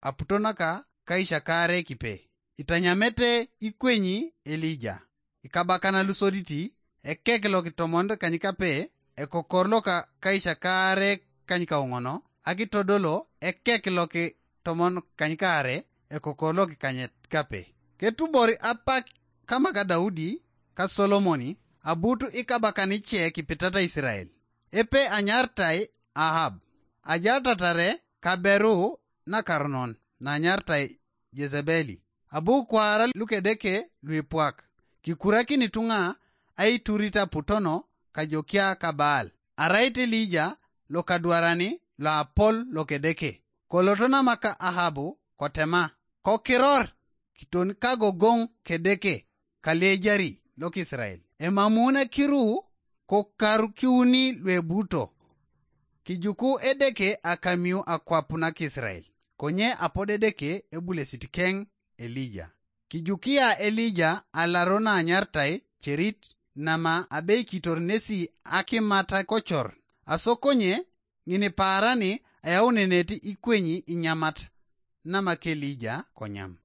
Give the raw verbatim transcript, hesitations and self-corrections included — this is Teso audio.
aputo naka kaisha kaare kipe. Itanyamete ikwenyi Elija. Ikabakan lusoditi, ekek lokitomon kanyikape, ekokor loka kaisha kaare kanyikaoŋono, akitodolo ekek lokitomon kanyikaare, ekokor lokikanyet kape. Ketubor apak kamaka Daudi ka Solomoni, abutu ikabakan ice kipitata Israel. Epe anyartai Ahab, ajatatare kaberu nakaronon nanyartai Jezebeli. Abu kwaara lukedeke luipwak, kikurakin ituŋa aiturit aputono kajokia kabaal. Arait Elija lokadwarani loapol lokedeke. Koloto namaka Ahabu kotema, kokiror kiton kagogoŋ kedeke kaliejari lokisrael. Emamuun akiru kokarukiuni luebuto. Kijuku Edeke akamiu akwap nakisrael, konye apod Edeke ebulesit keŋ Elija. Kijukia Elija alaro naanyartai cerit, nama abeikitor nesi akimata kocor, aso konye ŋinipaarani ayaunenet ikwenyi inyamat, nama Kelija konyam.